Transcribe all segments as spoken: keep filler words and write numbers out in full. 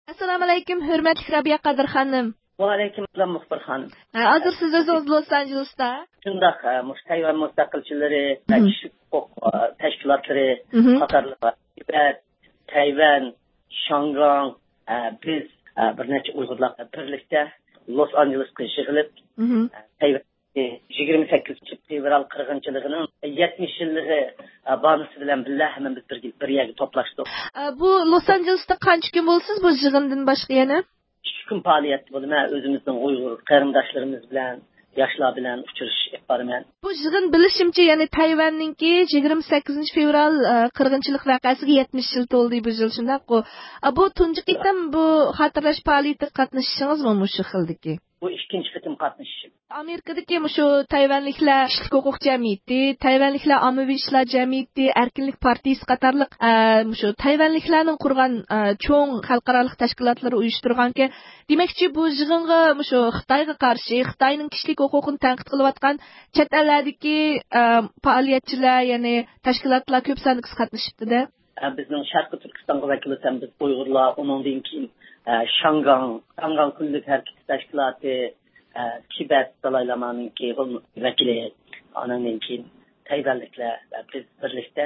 ئەسسالامۇئەلەيكۇم، ھۆرمەتلىك رابىيە قادىر خانىم. ۋەئەلەيكۇم ئەسسالام، مۇخبىر خانىم. ھە، ھازىر سىز ئۆزىڭىز لوس ئانژېلېستا. شۇنداق، ھە، مۇشۇ تەيۋەن مۇستەقىلچىلىرى ۋە مھم. كىشىلىك ھوقۇق، ئە، تەشكىلاتلىرى مھم. قاتارلىق تىبەت، تەيۋەن، شياڭگاڭ، ئە، بىز، ئە، بىر نەچچە ئۇيغۇرلار بىرلىكتە لوس ئانژېلېسقا يىغىلىپ، مھم. ئە، تەيۋەن يىگىرمە سەككىزىنچى فېۋرال قىرغىنچىلىقىنىڭ يەتمىش يىللىقى، ئە، بانىسى بىلەن بىللە ھەممىمىز بىر، بىر يەرگە توپلاشتۇق. ئە، بۇ لوس ئانژېلېستا قانچە كۈن بولىسىز بۇ يىغىندىن باشقا يەنە؟ ئىككى كۈن پائالىيەتتە بولىمەن. ئۆزىمىزنىڭ ئۇيغۇر قېرىنداشلىرىمىز بىلەن، ياشلار بىلەن ئۇچرىشىش ئېلىپ بارىمەن. بۇ يىغىن بىلىشىمچە، يەنى تەيۋەننىڭكى يىگىرمە سەككىزىنچى فېۋرال، ئە، قىرغىنچىلىق ۋەقەسىگە يەتمىش يىل تولدى بۇ يىل، شۇنداققۇ؟ ئە، بۇ تۇنجى قېتىم بۇ خاتىرىلەش پائالىيىتىگە قاتنىشىشىڭىزمۇ مۇشۇ خىلدىكى؟ بۇ ئىككىنچى قېتىم قاتنىشىشىم. ئامېرىكىدىكى مۇشۇ تەيۋەنلىكلەر كىشىلىك ھوقۇق جەمئىيىتى، تەيۋەنلىكلەر ئاممىۋى ئىشلار جەمئىيىتى، ئەركىنلىك پارتىيىسى قاتارلىق، ئە، مۇشۇ تەيۋەنلىكلەرنىڭ قۇرغان، ئە، چوڭ خەلقئارالىق تەشكىلاتلىرى ئۇيۇشتۇرغانىكەن. دېمەكچى، بۇ يىغىنغا مۇشۇ خىتايغا قارشى، خىتاينىڭ كىشىلىك ھوقۇقىنى تەنقىد قىلىۋاتقان چەت ئەللەردىكى، ئە، پائالىيەتچىلەر، يەنى تەشكىلاتلار كۆپ ساندا قاتنىشىپتۇ-دە. ئە، بىزنىڭ شەرقىي تۈركىستانغا ۋەكىل ئۆتەمىز ئۇيغۇرلار، ئۇنىڭدىن كېيىن، ئە، شياڭگاڭ، شياڭگاڭ كۈنلۈك ھەرىكىتى تەشكىلاتى، ئە، تىبەت دالاي لامانىڭكى ۋەكىلى، ئانىڭدىن كېيىن تەيۋەنلىكلەر ۋە بىز بىرلىكتە.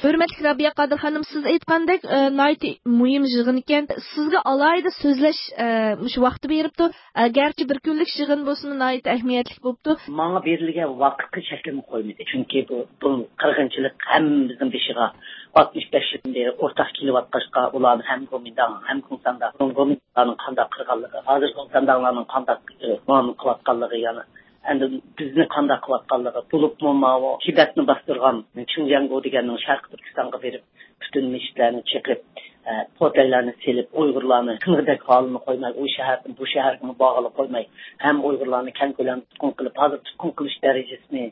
ھۆرمەتلىك رابىيە قادىر خانىم، سىز ئېيتقاندەك، ئە، ناھايىتى مۇھىم يىغىن ئىكەن. سىزگە ئالاھىدە سۆزلەش، ئە، مۇشۇ ۋاقتى بېرىپتۇ. ئە، گەرچە بىر كۈنلۈك يىغىن بولسىمۇ، ناھايىتى ئەھمىيەتلىك بوپتۇ. ماڭا بېرىلگەن ۋاقىتقا چەكلىمە قويمىدى. چۈنكى بۇ، بۇ قىرغىنچىلىق ھەممىمىزنىڭ بېشىغا ئاتمىش بەش يىلدىن بېرى ئورتاق كېلىۋاتقاچقا، ئۇلارنى ھەم گومىنداڭ، ھەم گومسانداڭ، گومىنداڭلارنىڭ قانداق قىلغانلىقى، ھازىر گومسانداڭلارنىڭ قانداق، ئى، مۇئامىلە قىلىۋاتقانلىقى، يەنى ئەمدى بىزنى قانداق قىلىۋاتقانلىقى، بولۇپمۇ ماۋۇ تىبەتنى باستۇرغان چىڭجياڭگو دېگەننىڭ شەرقىي تۈركىستانغا بېرىپ، پۈتۈن مەسچىتلەرنى چېقىپ، ئە، پوتەيلەرنى سېلىپ، ئۇيغۇرلارنى قىلغۇدەك ھالىنى قويماي، ئۇ شەھەردىن بۇ شەھەرگىمۇ بارغىلى قويماي، ھەم ئۇيغۇرلارنى كەڭ كۆلەمدە تۇتقۇن قىلىپ، ھازىر تۇتقۇن قىلىش دەرىجىسىنى،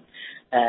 ئە،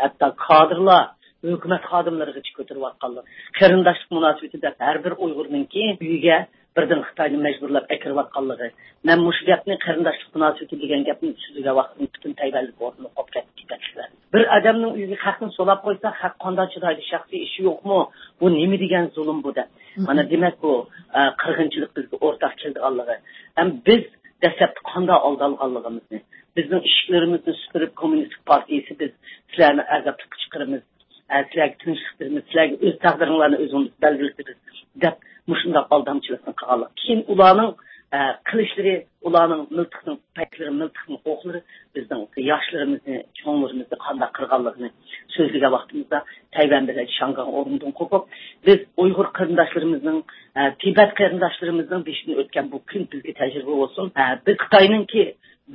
ھەتتا كادىرلار، ھۆكۈمەت خادىملىرىغىچە كۆتۈرۈۋاتقانلىقى، قېرىنداشلىق مۇناسىۋىتى دەپ ھەر بىر ئۇيغۇرنىڭكى ئۆيىگە بىردىن خىتاينى مەجبۇرلاپ ئەكىرىۋاتقانلىقى. مەن مۇشۇ گەپنى، قېرىنداشلىق مۇناسىۋىتى دېگەن گەپنى سۆزلىگەن ۋاقتىمدا پۈتۈن تەيۋەنلىك ئورنىنى قوپۇپ كەتتى، تىبەتلىكلەر. بىر ئادەمنىڭ ئۆيىگە خەقنى سولاپ قويسا، خەق قانداق چىدايدۇ؟ شەخسىي ئىشى يوقمۇ؟ بۇ نېمە دېگەن زۇلۇم بۇ دەپ. مانا دېمەك، بۇ، ئە، قىرغىنچىلىق بىزگە ئورتاق كېلىدىغانلىقى. ھەم بىز دەسلەپتە قانداق ئالدالغانلىقىمىزنى، بىزنىڭ ئىشىكلىرىمىزنى سۈپۈرۈپ، كوممۇنىستىك پارتىيىسى، بىز سىلەرنى ئازادلىققا چىقىرىمىز، ئە، سىلەرگە تىنچلىق بېرىمىز، سىلەرگە ئۆز تەقدىرىڭلارنى ئۆزۈڭلار بەلگىلىتىمىز دەپ مۇشۇنداق ئالدامچىلىقنى قىلغانلىق. كېيىن ئۇلارنىڭ، ئە، قىلىشلىرى، ئۇلارنىڭ مىلتىقنىڭ پەيلىرى، مىلتىقنىڭ ئوقلىرى بىزنىڭ ياشلىرىمىزنى، چوڭلىرىمىزنى قانداق قىرغانلىقىنى سۆزلىگەن ۋاقتىمىزدا، تەيۋەن بىلەن شياڭگاڭ ئورنىدىن قوپۇپ، بىز ئۇيغۇر قېرىنداشلىرىمىزنىڭ، ئە، تىبەت قېرىنداشلىرىمىزنىڭ بېشىدىن ئۆتكەن بۇ كۈن بىزگە تەجرىبە بولسۇن. ئە، بىز خىتاينىڭكى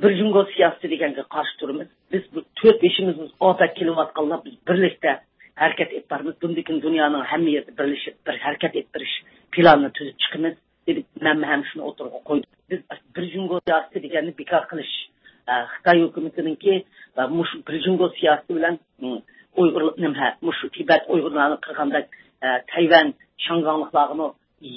بىر جۇڭگو سىياسىتى دېگەنگە قارشى تۇرىمىز. بىز بۇ تۆت بېشىمىز ئاپەت كېلىۋاتقانلار، بىز بىرلىكتە ھەرىكەت ئېلىپ بارىمىز. بۇندىن كېيىن دۇنيانىڭ ھەممە يېرىدە بىرلىشىپ، بىر ھەرىكەت ئېلىپ بېرىش پىلانىنى تۈزۈپ چىقىمىز، دېدى. مەنمۇ ھەم شۇنى ئوتتۇرىغا قويدۇم. بىز بىر جۇڭگو سىياسىتى دېگەننى بىكار قىلىش، ئە، خىتاي ھۆكۈمىتىنىڭكى، ئە، مۇشۇ بىر جۇڭگو سىياسىتى بىلەن، م، ئۇيغۇر، نېمە، مۇشۇ تىبەت ئۇيغۇرلارنى قىرغاندەك، ئە، تەيۋەن شياڭگاڭلىقلارغىمۇ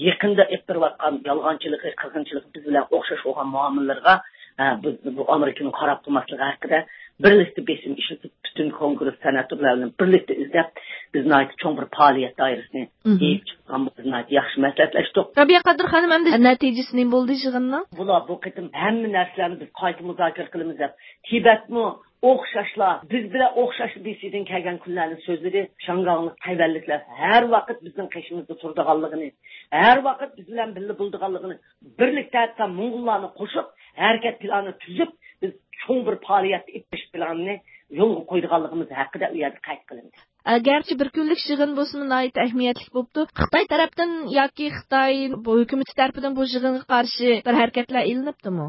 يېقىندا ئېلىپ بېرىۋاتقان يالغانچىلىقى، قىرغىنچىلىقى بىز بىلەن ئوخشاش بولغان مۇئامىلىلىرىغا، ھە، بىز بۇ ئامېرىكىنىڭ قاراپ تۇرماسلىقى ھەققىدە بىرلىكتە بېسىم ئىشلىتىپ، پۈتۈن كونگرېس سېناتورلار بىلەن بىرلىكتە ئىزدەپ، بىز ناھايىتى چوڭ بىر پائالىيەت دائىرىسىنى مھم. يېيىپ چىققان، بىز ناھايىتى ياخشى مەسلىھەتلەشتۇق. رابىيە قادىر خانىم، ئەمدى نەتىجىسى نېمە بولدى يىغىننىڭ؟ بۇلار بۇ قېتىم ھەممە نەرسىلەرنى بىز قايتا مۇزاكىرە قىلىمىز دەپ، تىبەتمۇ ئوخشاشلا، بىز بىلەن ئوخشاش بېسىدىن كەلگەن كۈنلەرنى سۆزلىدى. شياڭگاڭلىق، تەيۋەنلىكلەر ھەر ۋاقىت بىزنىڭ قېشىمىزدا تۇرىدىغانلىقىنى، ھەر ۋاقىت بىز بىلەن بىللە بولىدىغانلىقىنى، بىرلىكتە ھەتتا موڭغۇللارنى قوشۇپ، ھەرىكەت پىلانى تۈزۈپ، بىز چوڭ بىر پائالىيەت ئېلىپ بېرىش پىلانىنى يولغا قويىدىغانلىقىمىز ھەققىدە ئۇ يەردە قەيت قىلىندى. ئە، گەرچە بىر كۈنلۈك يىغىن بولسىمۇ، ناھايىتى ئەھمىيەتلىك بوپتۇ. خىتاي تەرەپتىن ياكى خىتاي بۇ ھۆكۈمىتى تەرىپىدىن بۇ يىغىنغا قارشى بىر ھەرىكەتلەر ئېلىنىپتىمۇ؟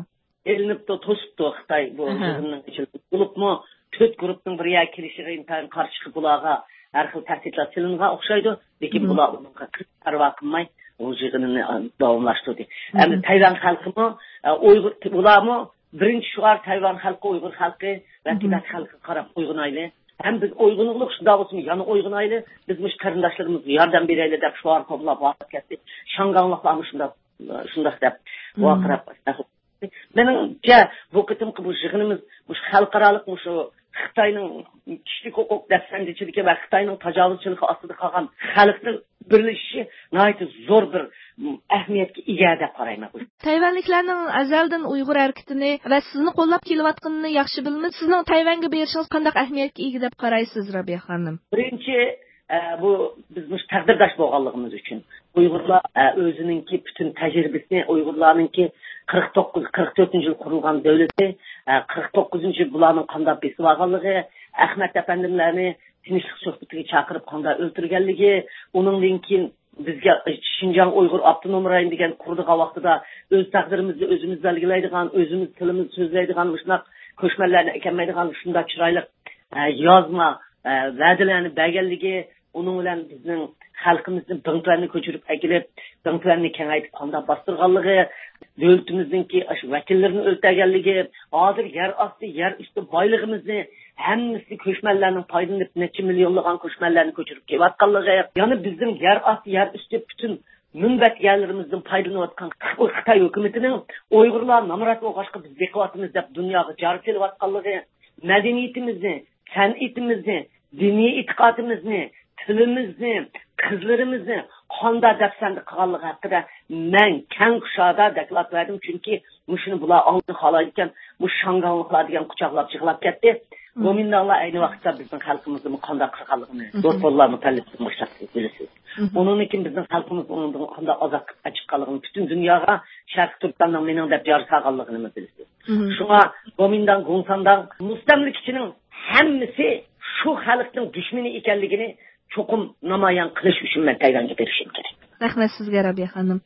ئېلىنىپتۇ، توسۇپتۇ خىتاي بۇ ئەھە. يىغىننىڭ ئېچىلىشىنى. بولۇپمۇ تۆت گۇرۇپپىنىڭ بىر يەرگە كېلىشىگە ئىنتايىن قارشى چىقىپ، بۇلارغا ھەر خىل تەھدىتلەر سېلىنغان ئوخشايدۇ. لېكىن مم. بۇلار ئۇنىڭغا پەرۋا قىلماي، ئۇ يىغىنىنى، ئا، داۋاملاشتۇردى. مم. ئەمدى تەيۋەن خەلقىمۇ، ئا، ئۇيغۇر، بۇلارمۇ بىرىنچى شوئار تەيۋەن خەلقى، ئۇيغۇر خەلقى ۋە مم. تىبەت خەلقىگە قاراپ ئويغىنايلى. ھەم بىز ئويغىنىغلىق شۇنداق بولسىمۇ يەنە ئويغىنايلى. بىز مۇشۇ قېرىنداشلىرىمىزغا ياردەم بېرەيلى دەپ شوئار قوبۇللاپ ۋارقىراپ كەتتى. شياڭگاڭلىقلارمۇ شۇنداق، شۇنداق دەپ مم. ۋارقىراپ مېنىڭچە، بۇ قېتىمقى بۇ يىغىنىمىز مۇشۇ خەلقئارالىق مۇشۇ خىتاينىڭ كىشىلىك ھوقۇق دەپسەندىچىلىكى ۋە خىتاينىڭ تاجاۋۇزچىلىقى ئاستىدا قالغان خەلقنىڭ بىرلىشىشى ناھايىتى زور بىر، م، ئەھمىيەتكە ئىگە دەپ قارايمەن. تەيۋەنلىكلەرنىڭ ئەزەلدىن ئۇيغۇر ھەرىكىتىنى ۋە سىزنى قوللاپ كېلىۋاتقىنىنى ياخشى بىلىمىز. سىزنىڭ تەيۋەنگە بېرىشىڭىز قانداق ئەھمىيەتكە ئىگە دەپ قارايسىز، رابىيە خانىم؟ بىرىنچى، ئە، بۇ بىز مۇشۇ تەقدىرداش بولغانلىقىمىز ئۈچۈن. ئۇيغۇرلار، ئە، ئۆزىنىڭكى پۈتۈن تەجرىبىسىنى، ئۇيغۇرلارنىڭكى قىرىق توققۇز، قىرىق تۆتىنچى يىل قۇرۇلغان دۆلىتى، ئە، قىرىق توققۇزىنچى يىل بۇلارنىڭ قانداق بېسىۋالغانلىقى، ئەخمەت ئەپەندىملەرنى تىنچلىق سۆھبىتىگە چاقىرىپ قانداق ئۆلتۈرگەنلىكى، ئۇنىڭدىن كېيىن بىزگە شىنجاڭ ئۇيغۇر ئاپتونوم رايونى دېگەن قۇرىدىغان ۋاقتىدا ئۆز تەقدىرىمىزنى ئۆزىمىز بەلگىلەيدىغان، ئۆزىمىز تىلىمىز سۆزلەيدىغان مۇشۇنداق كۆچمەنلەرنى ئەكەلمەيدىغان شۇنداق چىرايلىق، ئە، يازما، ئە، ۋەدىلەرنى بەرگەنلىكى، ئۇنىڭ بىلەن بىزنىڭ خەلقىمىزنى بىڭتۈەننى كۆچۈرۈپ ئەكېلىپ، بىڭتۈەننى كېڭەيتىپ قانداق باستۇرغانلىقى، دۆلىتىمىزنىڭكى ئاشۇ ۋەكىللىرىنى ئۆلتۈرگەنلىكى، ھازىر يەر ئاستى، يەر ئۈستى بايلىقىمىزنى ھەممىسى كۆچمەنلەرنىڭ پايدىلىنىپ، نەچچە مىليونلىغان كۆچمەنلەرنى كۆچۈرۈپ كېلىۋاتقانلىقى، يەنە بىزنىڭ يەر ئاستى، يەر ئۈستى پۈتۈن مۇنبەت يەرلىرىمىزدىن پايدىلىنىۋاتقان خىتاي ھۆكۈمىتىنىڭ ئۇيغۇرلار نامرات بولغاچقا بىز بېقىۋاتىمىز دەپ دۇنياغا جار سېلىۋاتقانلىقى، مەدەنىيىتىمىزنى، سەنئىتىمىزنى، دىنىي ئېتىقادىمىزنى، تىلىمىزنى، قىزلىرىمىزنى قانداق دەپسەندە قىلغانلىقى ھەققىدە مەن كەڭ كۇشادە دوكلات بەردىم، چۈنكى مۇشۇنى بۇلار ئاڭلىشنى خالايدىكەن، مۇشۇ شاڭگاڭلىقلار دېگەن قۇچاقلاپ يىغلاپ كەتتى. گومىنداڭلار ئەينى ۋاقىتتا بىزنىڭ خەلقىمىزنىمۇ قانداق قىلغانلىقىنى، دوستلار مۇتەللىپىدىن باشلاپ بىلىسىز. ئۇنىڭدىن كېيىن بىزنىڭ خەلقىمىز ئۇنىڭدىن قانداق ئازاب ئەچىققانلىقىنى پۈتۈن دۇنياغا شەرقىي تۈركىستاننىڭ مېنىڭ دەپ يارىسالغانلىقىنىمۇ بىلىسىز. شۇڭا گومىنداڭ، گۇڭسانداڭ مۇستەملىكىچىنىڭ ھەممىسى شۇ خەلقنىڭ دۈشمىنى ئىكەنلىكىنى چوقۇم نامايان قىلىش ئۈچۈن مەن تەيۋەنگە بېرىشىم كېرەك. رەھمەت سىزگە، رابىيە خانىم.